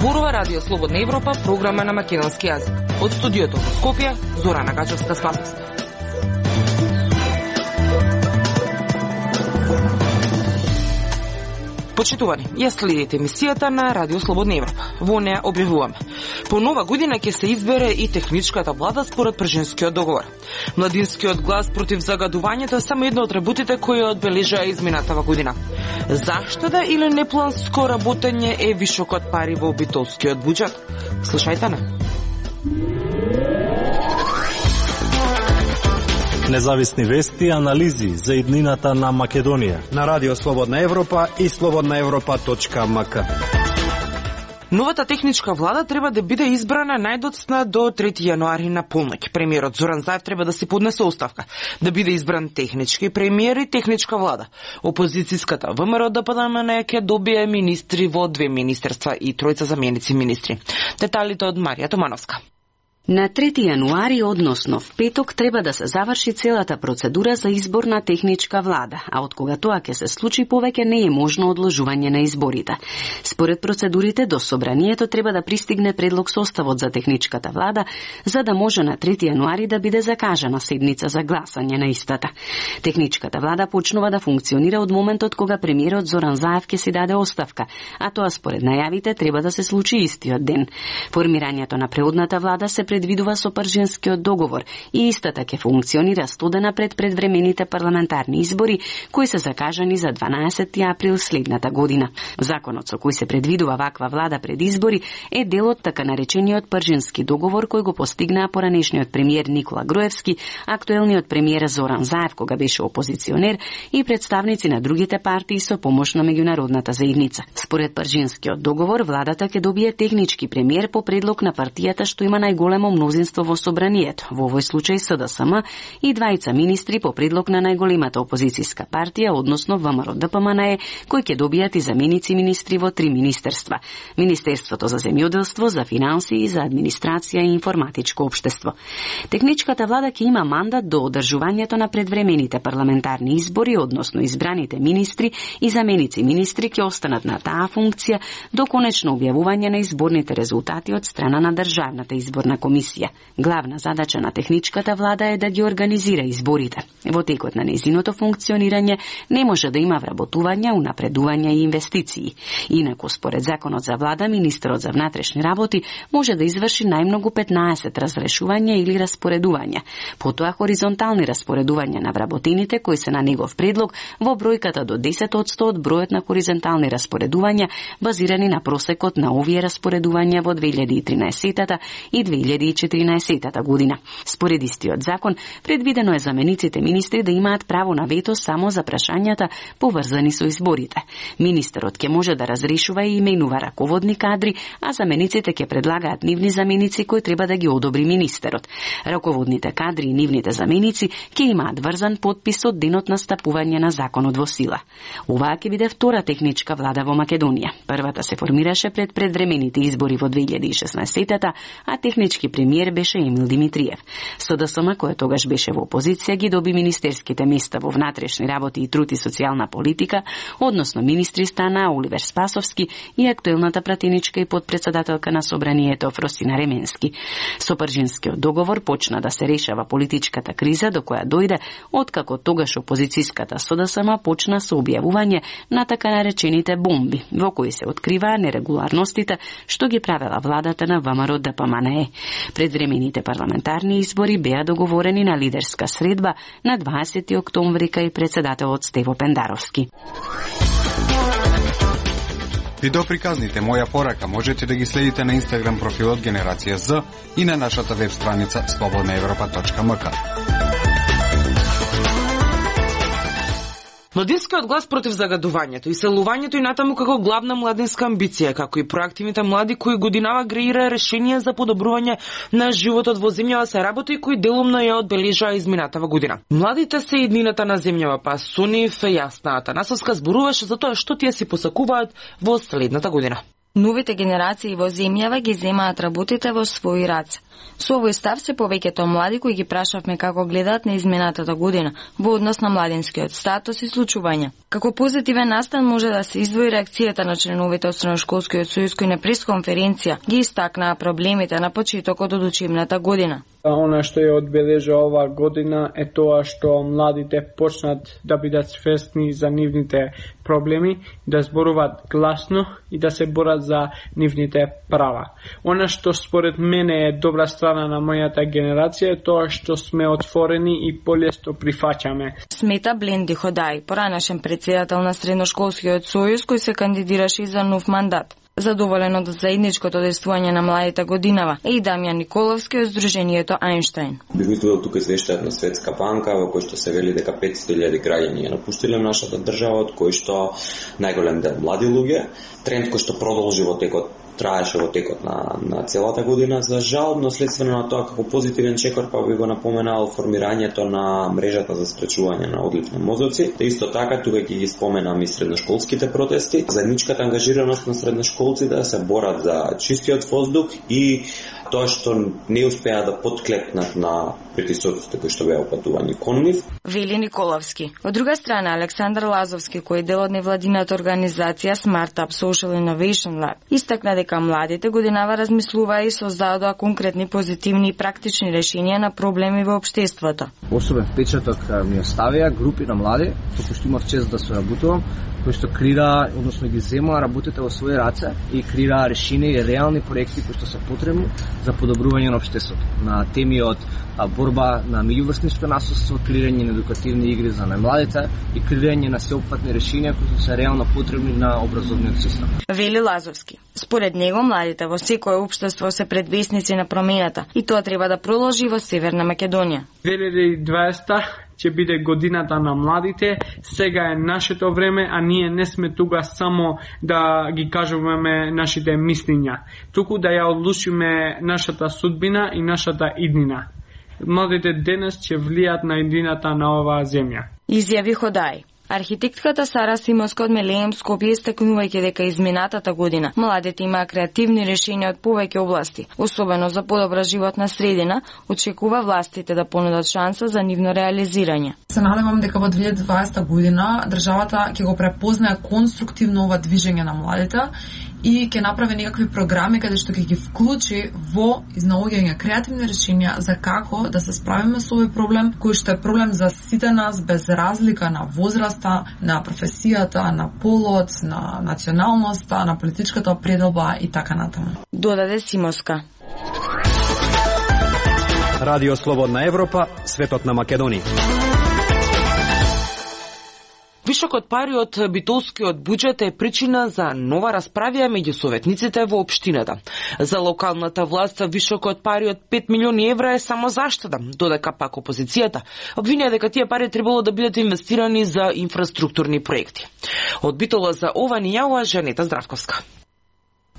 Зборува Радио Слободна Европа, програма на македонски јазик. Од студиото во Скопје, Зорана Гачевска-Спасовска. Почитувани, ја следите емисијата на Радио Слободна Европа. Во неја објавуваме: по нова година ќе се избере и техничката влада според Пржинскиот договор. Младинскиот глас против загадувањето е само едно од работите кои одбележаа изминатава година. Заштеда или непланско работење е вишокот пари во битолскиот буџет? Слушајте на. Независни вести и анализи за иднината на Македонија на Радио Слободна Европа и slobodnaevropa.mk. Новата техничка влада треба да биде избрана најдоцна до 3 јануари на полноќ. Премиерот Зоран Заев треба да си поднесе оставка, да биде избран технички премиер и техничка влада. Опозицијската ВМРО ДПМН ќе добие министри во 2 министерства и 3 заменици министри. Деталите од Марија Томановска. На 3 јануари, односно в петок, треба да се заврши целата процедура за избор на техничка влада, а од кога тоа ќе се случи, повеќе не е можно одложување на изборите. Според процедурите, до собранието треба да пристигне предлог составот за техничката влада, за да може на 3 јануари да биде закажана седница за гласање на истата. Техничката влада почнува да функционира од моментот кога премиерот Зоран Заев ќе си даде оставка, а тоа според најавите треба да се случи истиот ден. Формирањето на преодната влада се предвидува со Пржинскиот договор и истата ќе функционира 100 дена пред предвремените парламентарни избори, кои се закажани за 12 април следната година. Законот со кој се предвидува ваква влада пред избори е дел од така наречениот Пржински договор кој го постигнаа поранешниот премиер Никола Груевски, актуелниот премиер Зоран Заев кога беше опозиционер и представници на другите партии со помош на меѓународната заедница. Според Пржинскиот договор, владата ќе добие технички премиер по предлог на партијата што има најголемо мнозинство во собранието, во овој случај СДСМ, и 2 министри по предлог на најголемата опозицијска партија, односно ВМРО ДПМН, кои ќе добијат и заменици министри во 3 министерства: Министерството за земјоделство, за финанси и за администрација и информатичко општество. Техничката влада ќе има мандат до одржувањето на предвремените парламентарни избори, односно избраните министри и заменици министри ќе останат на таа функција до конечно објавување на изборните резултати од страна на Државната изборна комисија. Главна задача на техничката влада е да ги организира изборите. Во текот на нејзиното функционирање не може да има вработување, унапредување и инвестиции. Инаку, според законот за влада, министерот за внатрешни работи може да изврши најмногу 15 разрешувања или распоредувања. Потоа хоризонтални распоредувања на вработените кои се на негов предлог во бројката до 10% од бројот на хоризонтални распоредувања базирани на просекот на овие распоредувања во 2013 и 2014 година. Според истиот закон, предвидено е замениците министри да имаат право на вето само за прашањата поврзани со изборите. Министерот ќе може да разрешува и именува раководни кадри, а замениците ќе предлагаат нивни заменици кои треба да ги одобри министерот. Раководните кадри и нивните заменици ќе имаат врзан подпис од денот на стапување на законот во сила. Оваа ќе биде втора техничка влада во Македонија. Првата се формираше пред предвремените избори во 2016, а технички премиер беше Емил Димитриев. СДСМ, која тогаш беше во опозиција, ги доби министерските места во внатрешни работи и труд и социјална политика, односно министри стана Оливер Спасовски и актуелната пратеничка и подпредседателка на собранието Фросина Ременски. Со Пржинскиот договор почна да се решава политичката криза до која дојде откако тогаш опозицијската СДСМ почна со објавување на така наречените бомби, во кои се откриваа нерегуларностите што ги правела владата на ВМРО ДПМН. Предвремените парламентарни избори беа договорени на лидерска средба на 20 октомври кај председателот Стево Пендаровски. Видеоприказните Моја порака можете да ги следите на Инстаграм профилот Генерација З и на нашата веб страница slobodnaevropa.mk. Младинскиот глас против загадувањето и селувањето и натаму како главна младинска амбиција, како и проактивните млади кои годинава креира решенија за подобрување на животот во земјава се работи кои делумно ја одбележаа изминатава година. Младите се иднината на земјава, па со нив Јасна Атанасовска зборуваше за тоа што тие си посакуваат во следната година. Новите генерации во земјава ги земаат работите во своји раце. Со овој став се повеќето млади кои ги прашавме како гледаат на изминатата година во однос на младинскиот статус и случувања. Како позитивен настан може да се издвои реакцијата на членовите од Средношколскиот сојуз кои на пресконференција ги истакнаа проблемите на почетокот од учебната година. Она што ја одбележа оваа година е тоа што младите почнат да бидат свесни за нивните проблеми, да зборуваат гласно и да се борат за нивните права. Она што според мене е добра страна на мојата генерација е тоа што сме отворени и полесно прифаќаме. Смета Бленди Ходај, поранешен председател на Средношколскиот сојуз кој се кандидираше за нов мандат. Задоволен од заедничкото действување на младите годинава е и Дамјан Николовски од Сдруженијето Ајнштајн. Би го изведел тука извештајот на Светска банка во кој што се вели дека 500.000 граѓани ја напуштиле нашата држава, од кои што најголем дел млади луѓе. Тренд кој што продолжи во текот траеше во текот на целата година, за жал, но следствено на тоа како позитивен чекор па би го напоменал формирањето на мрежата за спречување на одлив на мозоци. Те исто така тука ги споменам и средношколските протести, заедничката ангажираност на средношколци да се борат за чистиот воздух и тоа што не успеа да подклекнат на притисоците кои што беа упатувани кон нив. Вели Николовски. Од друга страна, Александар Лазовски, кој е дел од невладината организација Smart Up Social Innovation Lab, истакна дека младите годинава размислуваа и создадоа конкретни, позитивни и практични решенија на проблеми во општеството. Особен впечаток ми оставија групи на млади, со кои што имав чест да соработувам, кои што крира, односно ги земаа работите во своји раце и крира решенија и реални проекти кои што се потребни за подобрување на општеството. На теми од борба на меѓуврсничко насилство, креирање на едукативни игри за најмладите и креирање на сеопфатни решенија кои се реално потребни на образовниот систем. Вели Лазовски. Според него, младите во секое општество се предвесници на промената и тоа треба да продолжи во Северна Македонија. 2020 ќе биде годината на младите, сега е нашето време, а ние не сме тука само да ги кажуваме нашите мислења, туку да ја одлучиме нашата судбина и нашата иднина. Младите денес ќе влијат на иднината на оваа земја. Изјави Ходај. Архитектката Сара Симонска од Мелеем Скопје истакнувајќи дека изминатата година младите имаа креативни решенија од повеќе области, особено за подобра животна средина, очекува властите да понудат шанса за нивно реализирање. Се надевам дека во 2020 година државата ќе го препознае конструктивно ова движење на младите и ќе направи некакви програми каде што ќе ги вклучи во изнаоѓање креативни решенија за како да се справиме со овој проблем, кој што е проблем за сите нас без разлика на возраста, на професијата, на полот, на националноста, на политичката определба и така натаму. Додаде Симоска. Радио Слободна Европа, светот на Македонија. Вишокот пари од битолскиот буџет е причина за нова расправија меѓу советниците во општината. За локалната власт вишокот пари од 5 милиони евра е само заштеда, додека пак опозицијата обвинува дека тие пари требало да бидат инвестирани за инфраструктурни проекти. Од Битола за ова ни јавува Жанета Здравковска.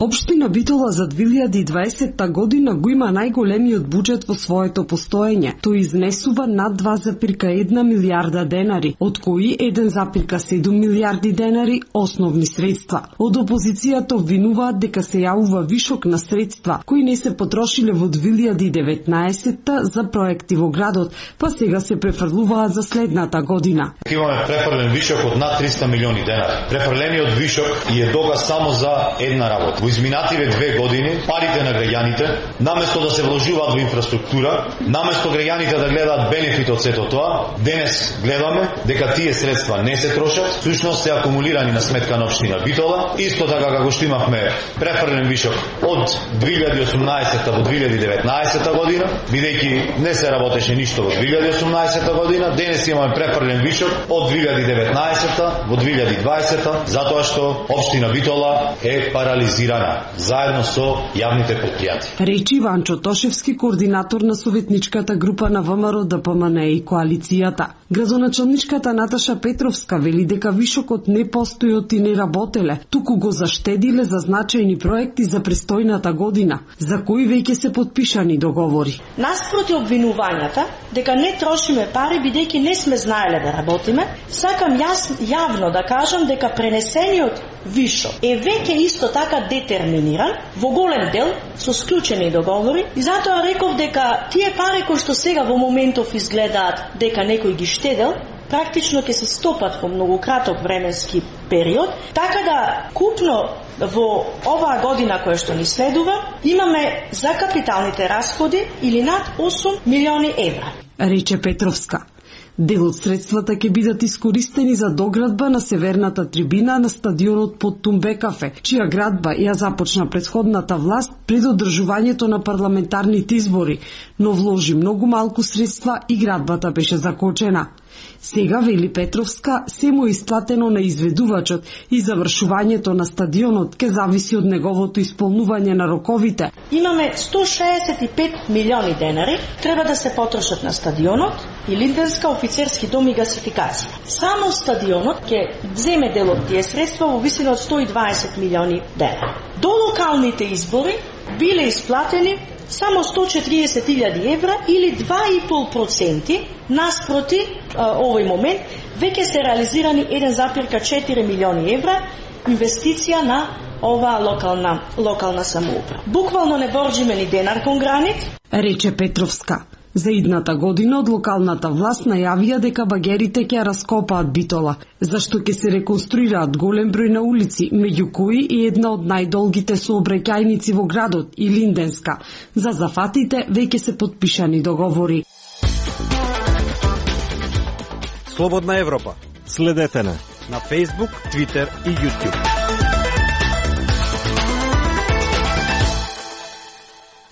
Општина Битола за 2020 година го има најголемиот буџет во своето постоење. Тој изнесува над 2,1 милијарда денари, од кои 1,7 милијарди денари основни средства. Од опозицијата обвинуваат дека се јавува вишок на средства кои не се потрошиле во 2019 за проекти во градот, па сега се префрлуваат за следната година. Имаме префрлен вишок од над 300 милиони денари. Префрлениот вишок е догас само за една работа. Во изминативе 2 години парите на граѓаните, наместо да се вложуваат во инфраструктура, наместо граѓаните да гледаат бенефит од сето тоа, денес гледаме дека тие средства не се трошат, всушност се акумулирани на сметка на општина Битола, исто така како што имавме префрлен вишок од 2018 во 2019 година, бидејќи не се работеше ништо во 2018 година, денес имаме префрлен вишок од 2019 во 2020, затоа што општина Битола е парализирана заедно со јавните предпријатија. Речи Ванчо Тошевски, координатор на советничката група на ВМРО ДПМН и коалицијата. Градоначалничката Наташа Петровска вели дека вишокот не постојот и не работеле, туку го заштедиле за значајни проекти за престојната година, за кои веќе се подпишани договори. Наспроти обвинувањата дека не трошиме пари бидејќи не сме знаеле да работиме, сакам јавно да кажам дека пренесениот вишок е веќе исто така детерминиран во голем дел со склучени договори и затоа реков дека тие пари кои што сега во моментов изгледаат дека некој ги штедел, практично ќе се стопат во многу краток временски период, така да купно во оваа година која што ни следува, имаме за капиталните расходи или над 8 милиони евра. Рече Петровска. Дел од средствата ќе бидат искористени за доградба на северната трибина на стадионот под Тумбекафе, чија градба ја започна претходната власт пред одржувањето на парламентарните избори, но вложи многу малку средства и градбата беше закочена. Сега, вели Петровска, се му исплатено на изведувачот и завршувањето на стадионот ќе зависи од неговото исполнување на роковите. Имаме 165 милиони денари, треба да се потрошат на стадионот и Линденска, офицерски дом и гасификација. Само стадионот ќе земе дел од тие средства во висина од 120 милиони денари. До локалните избори биле исплатени само 140.000 евра или 2,5%, наспроти овој момент веќе се реализирани 1,4 милиони евра инвестиција на оваа локална самоуправа. Буквално не борџиме ни денар кон гранит, рече Петровска. За идната година од локалната власт најавија дека багерите ќе раскопаат Битола, зашто ќе се реконструираат голем број на улици, меѓу кои и една од најдолгите сообраќајници во градот и Линденска. За зафатите веќе се подпишани договори. Слободна Европа. Следете на Facebook, Twitter и YouTube.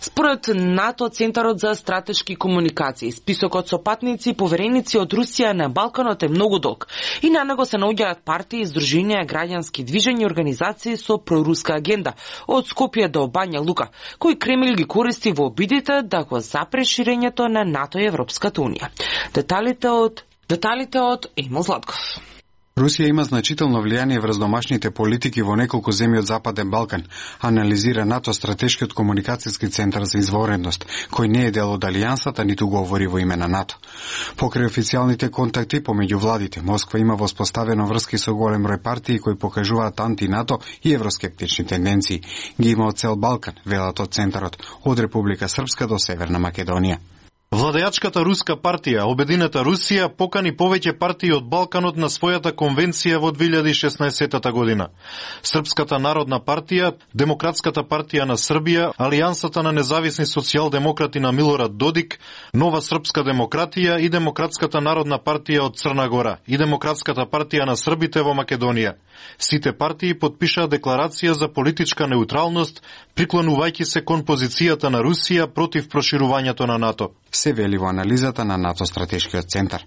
Според НАТО, Центарот за стратешки комуникации, списокот со патници и повереници од Русија на Балканот е многу долг и на него се наоѓаат партии, издруженија, граѓански движења и организации со проруска агенда, од Скопје до Бања Лука, кои Кремљ ги користи во обидите да го запре ширењето на НАТО и Европската Унија. Деталите од Емил Златков. Русија има значително влијание врз домашните политики во неколку земји од Западен Балкан, анализира НАТО стратешкиот комуникацијски центар за изворедност, кој не е дел од алијансата, ниту говори во име на НАТО. Покрај официјалните контакти помеѓу владите, Москва има воспоставено врски со голем број партии кои покажуваат анти-НАТО и евроскептични тенденции. Ги има од цел Балкан, велат од центарот, од Република Српска до Северна Македонија. Владеачката руска партија, Обединета Русија, покани повеќе партии од Балканот на својата конвенција во 2016 година. Српската народна партија, Демократската партија на Србија, Алијансата на независни социјалдемократи на Милорад Додик, Нова српска демократија и Демократската народна партија од Црна Гора и Демократската партија на србите во Македонија. Сите партии подпишаа декларација за политичка неутралност, приклонувајќи се кон позицијата на Русија против проширувањето на НАТО. Се вели во анализата на НАТО стратешкиот центар.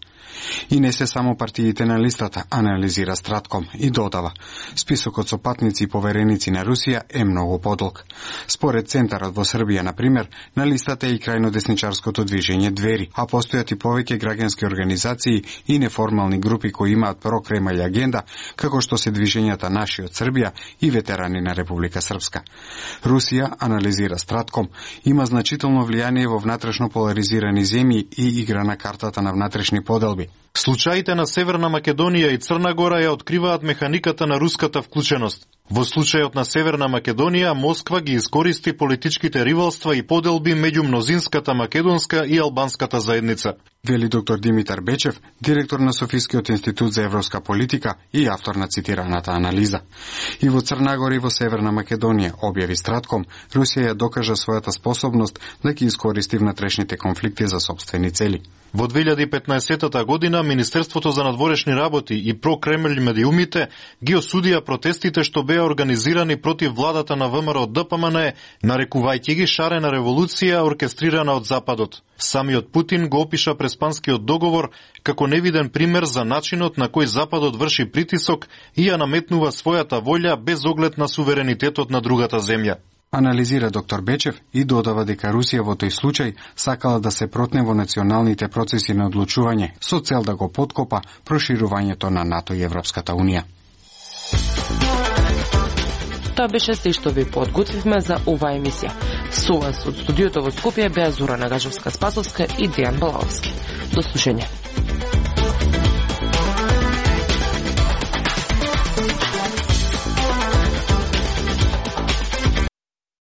И не се само партиите на листата, анализира Стратком и додава. Списокот со патници и повереници на Русија е многу подолг. Според центарот во Србија, например, на листата е и крајно десничарското движење Двери, а постојат и повеќе граѓански организации и неформални групи кои имаат прокремај агенда, како што се движењата Наши од Србија и ветерани на Република Српска. Русија, анализира Стратком, има значително влијание во внатрешно поларизирани земји и игра на картата на внатрешни поделби. Случаите на Северна Македонија и Црна Гора ја откриваат механиката на руската вклученост. Во случајот на Северна Македонија, Москва ги искористи политичките ривалства и поделби меѓу мнозинската македонска и албанската заедница. Вели доктор Димитар Бечев, директор на Софискиот институт за европска политика и автор на цитираната анализа. И во Црна Гора и во Северна Македонија, објави Стратком, Русија ја докажа својата способност да ги искористи внатрешните конфликти за сопствени цели. Во 2015 година Министерството за надворешни работи и про-Кремљ медиумите ги осудија протестите што беа организирани против владата на ВМРО ДПМН, нарекувајќи ги шарена револуција оркестрирана од Западот. Самиот Путин го опиша Преспанскиот договор како невиден пример за начинот на кој Западот врши притисок и ја наметнува својата волја без оглед на суверенитетот на другата земја. Анализира доктор Бечев и додава дека Русија во тој случај сакала да се протне во националните процеси на одлучување со цел да го поткопа проширувањето на НАТО и Европската Унија. Тоа беше се што ви подготвивме за оваа емисија. Со вас од студиото во Скопје беа Зора Нагажевска-Спасовска и Дејан Балаовски. До слушање.